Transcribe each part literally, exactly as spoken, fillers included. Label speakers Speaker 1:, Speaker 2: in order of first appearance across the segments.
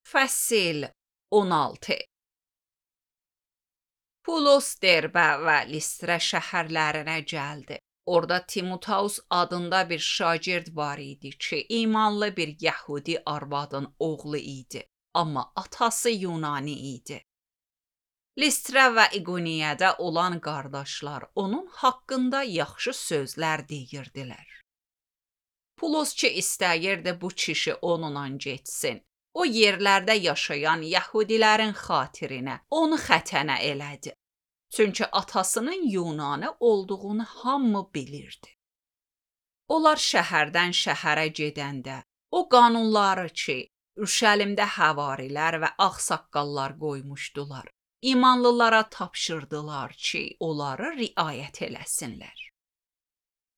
Speaker 1: Fəsil on altı. Pulos Derbə və Listra şəhərlərinə gəldi. Orada Timoteus adında bir şagird var idi ki, imanlı bir Yəhudi arvadın oğlu idi, amma atası Yunani idi. Listra və İqoniyədə olan qardaşlar onun haqqında yaxşı sözlər deyirdilər. Pulos ki istəyirdi bu kişi onunla getsin. O yerlərdə yaşayan Yəhudilərin xatirinə onu xətənə elədi. Çünki atasının Yunanı olduğunu hamı bilirdi. Onlar şəhərdən şəhərə gedəndə o qanunları ki, Ürşəlimdə həvarilər və ağsaqqallar qoymuşdular, imanlılara tapşırdılar ki, onları riayət eləsinlər.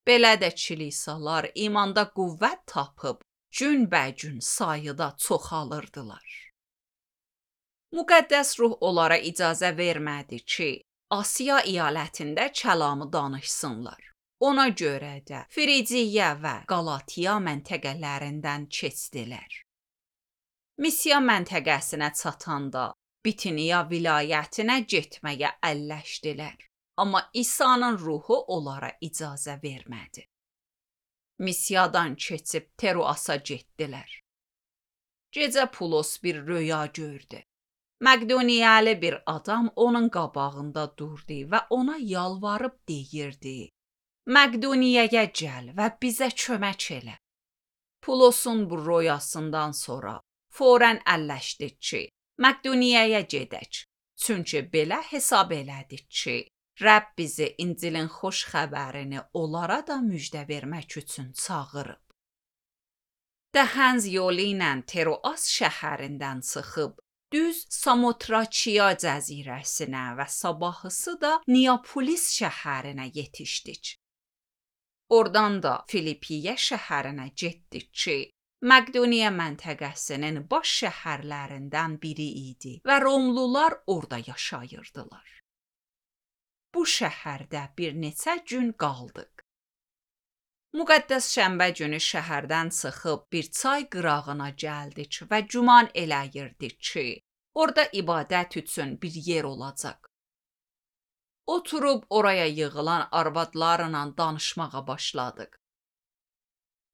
Speaker 1: Belə də kilisalar imanda qüvvət tapıb, günbəgün sayıda çoxalırdılar. Müqəddəs ruh onlara icazə vermədi ki, Asiya əyalətində kəlamı danışsınlar. Ona görə də Frigiya və Qalatiya məntəqələrindən keçdilər. Misiya məntəqəsinə çatanda Bitiniya vilayətinə getməyə əlləşdilər. Amma İsa'nın ruhu onlara icazə vermədi. Misiyadan keçib Teroasa getdilər. Gecə Pulos bir röya gördü. Məqdoniyalı bir adam onun qabağında durdu və ona yalvarıb deyirdi: Məqdoniyaya gəl və bizə kömək elə. Pulosun bu röyasından sonra fौरən əlləşdik ki, Məqdoniyaya gedək. Çünki belə hesab elədik ki, Rəbb bizi İncilin xoş xəbərini onlara da müjdə vermək üçün çağırıb. Dəhənz yolu ilə Teroas şəhərindən çıxıb, düz Samotrakiya cəzirəsinə və sabahısı da Neapolis şəhərinə yetişdik. Oradan da Filipiyə şəhərinə getdik ki, Məqdoniya məntəqəsinin baş şəhərlərindən biri idi və Romlular orada yaşayırdılar. Bu şəhərdə bir neçə gün qaldıq. Müqəddəs şənbə günü şəhərdən çıxıb bir çay qırağına gəldik və güman eləyirdik ki, orada ibadət üçün bir yer olacaq. Oturub oraya yığılan arvadlarla danışmağa başladıq.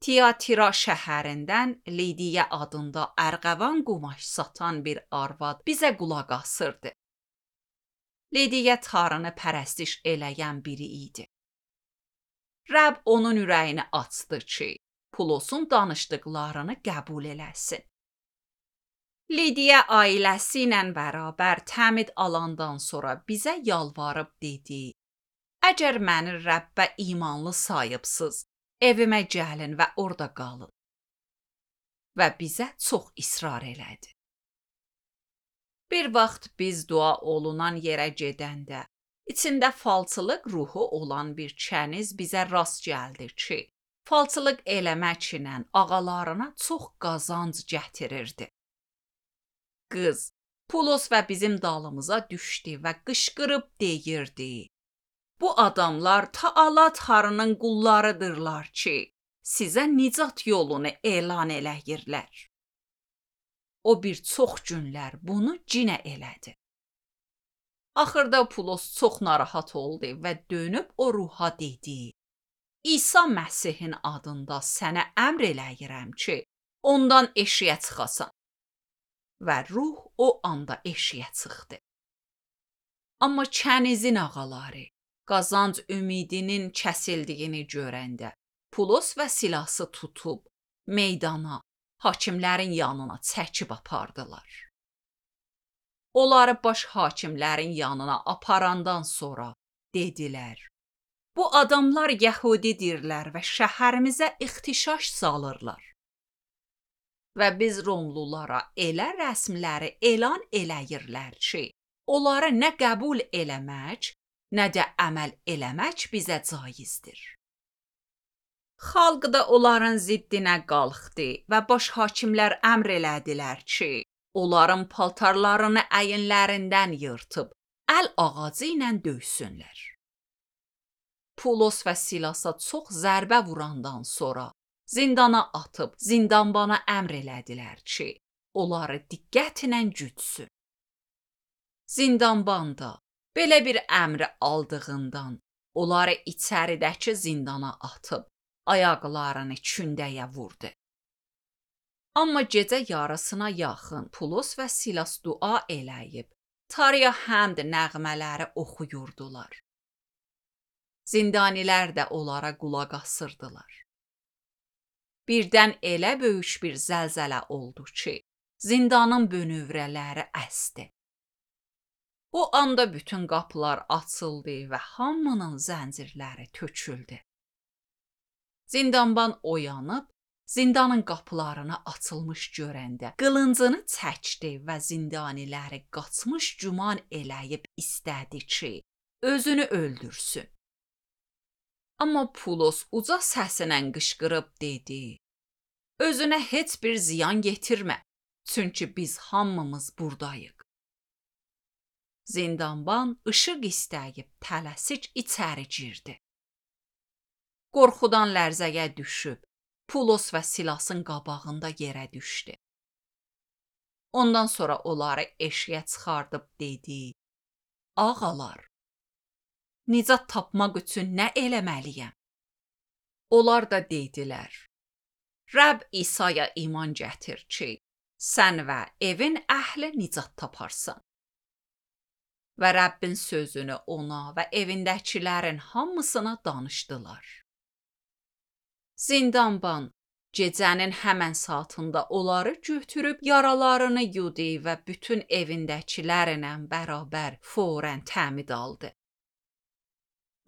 Speaker 1: Tiyatira şəhərindən Lidiya adında ərğəvan qumaş satan bir arvad bizə qulaq asırdı. Lidiya Tanrını pərəstiş eləyən biri idi. Rəbb onun ürəyini açdı ki, Pulosun danışdıqlarını qəbul eləsin. Lidiya ailəsi ilə bərabər təmid alandan sonra bizə yalvarıb dedi: Əgər məni Rəbbə imanlı sayıbsınız, evimə gəlin və orada qalın. Və bizə çox israr elədi. Bir vaxt biz dua olunan yerə gedəndə, içində falçılıq ruhu olan bir kəniz bizə rast gəldi ki, falçılıq eləmək ilə ağalarına çox qazanc gətirirdi. Qız, Pulos və bizim dalımıza düşdü və qışqırıb deyirdi: Bu adamlar Taala Tanrının qullarıdırlar ki, sizə nicat yolunu elan eləyirlər. O bir çox günlər bunu cinə elədi. Axırda Pulos çox narahat oldu və dönüb o ruha dedi: İsa Məsihin adında sənə əmr eləyirəm ki, ondan eşiyə çıxasan. Və ruh o anda eşiyə çıxdı. Amma kənizin ağaları qazanc ümidinin kəsildiyini görəndə Pulos və Silası tutub meydana, hakimlərin yanına çəkib apardılar. Onları baş hakimlərin yanına aparandan sonra dedilər: Bu adamlar Yəhudidirlər və şəhərimizə ixtişaş salırlar. Və biz Romlulara elə rəsmləri elan eləyirlər ki, onları nə qəbul eləmək, nə də əməl eləmək bizə caizdir. Xalq da onların ziddinə qalxdı və baş hakimlər əmr elədilər ki, onların paltarlarını əyinlərindən yırtıb, əl ağacı ilə döysünlər. Pulos və Silasa çox zərbə vurandan sonra zindana atıb zindanbana əmr elədilər ki, onları diqqətlə gütsün. Zindanban da belə bir əmri aldığından onları içəridəki zindana atıb ayaqlarını kündəyə vurdu. Amma gecə yarısına yaxın Pulos və Silas dua eləyib, Tanrıya həmd nəğmələri oxuyurdular. Zindanilər də onlara qulaq asırdılar. Birdən elə böyük bir zəlzələ oldu ki, zindanın bönövrələri əsdi. O anda bütün qapılar açıldı və hamının zəncirləri töküldü. Zindanban oyanıb, zindanın qapılarını açılmış görəndə qılıncını çəkdi və zindaniləri qaçmış güman eləyib istədi ki, özünü öldürsün. Amma Pulos uca səsinə qışqırıb dedi: "Özünə heç bir ziyan yetirmə, çünki biz hamımız buradayıq." Zindanban işıq istəyib tələsik içəri girdi. Qorxudan lərzəyə düşüb, Pulos və Silasın qabağında yerə düşdü. Ondan sonra onları eşiyə çıxardıb dedi: "Ağalar, nicat tapmaq üçün nə eləməliyəm?" Onlar da dedilər: "Rəbb İsa'ya iman gətir ki, sən və evin əhli nicat taparsan." Və Rəbbin sözünü ona və evindəkilərin hamısına danışdılar. Zindanban gecənin həmən saatında onları götürüb yaralarını yudu və bütün evindəkilərlə bərabər fौरən təmid aldı.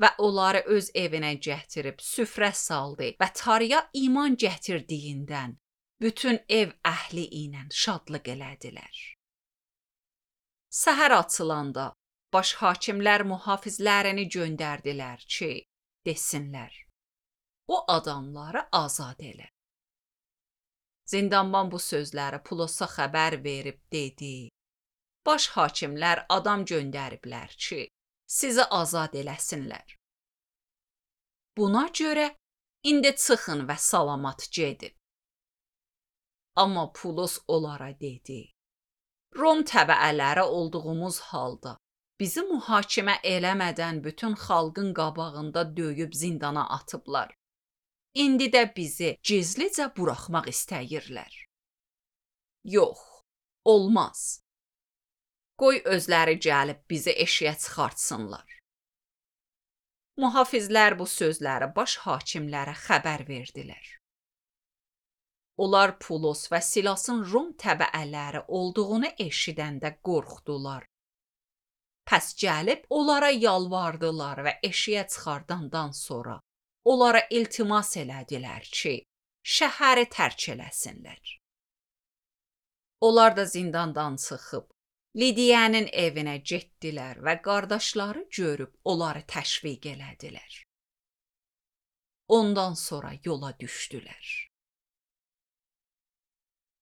Speaker 1: Və onları öz evinə gətirib süfrə saldı və Tanrıya iman gətirdiyindən bütün ev əhli ilə şadlıq elədilər. Səhər açılanda baş hakimlər mühafizlərini göndərdilər ki, desinlər: "O adamları azad elə." Zindanban bu sözləri Pulosa xəbər verib dedi: "Baş hakimlər adam göndəriblər ki, sizi azad eləsinlər. Buna görə indi çıxın və salamat gedin." Amma Pulos onlara dedi: "Rom təbəələri olduğumuz halda bizi mühakimə eləmədən bütün xalqın qabağında döyüb zindana atıblar. İndi də bizi gizlicə buraxmaq istəyirlər. Yox, olmaz. Qoy özləri gəlib bizi eşiyə çıxartsınlar." Mühafizlər bu sözləri baş hakimlərə xəbər verdilər. Onlar Pulos və Silasın Rom təbəələri olduğunu eşidəndə qorxdular. Pəs gəlib onlara yalvardılar və eşiyə çıxardandan sonra onlara iltimas elədilər ki, şəhəri tərk eləsinlər. Onlar da zindandan çıxıb Lidiyanın evinə getdilər və qardaşları görüb onları təşviq elədilər. Ondan sonra yola düşdülər.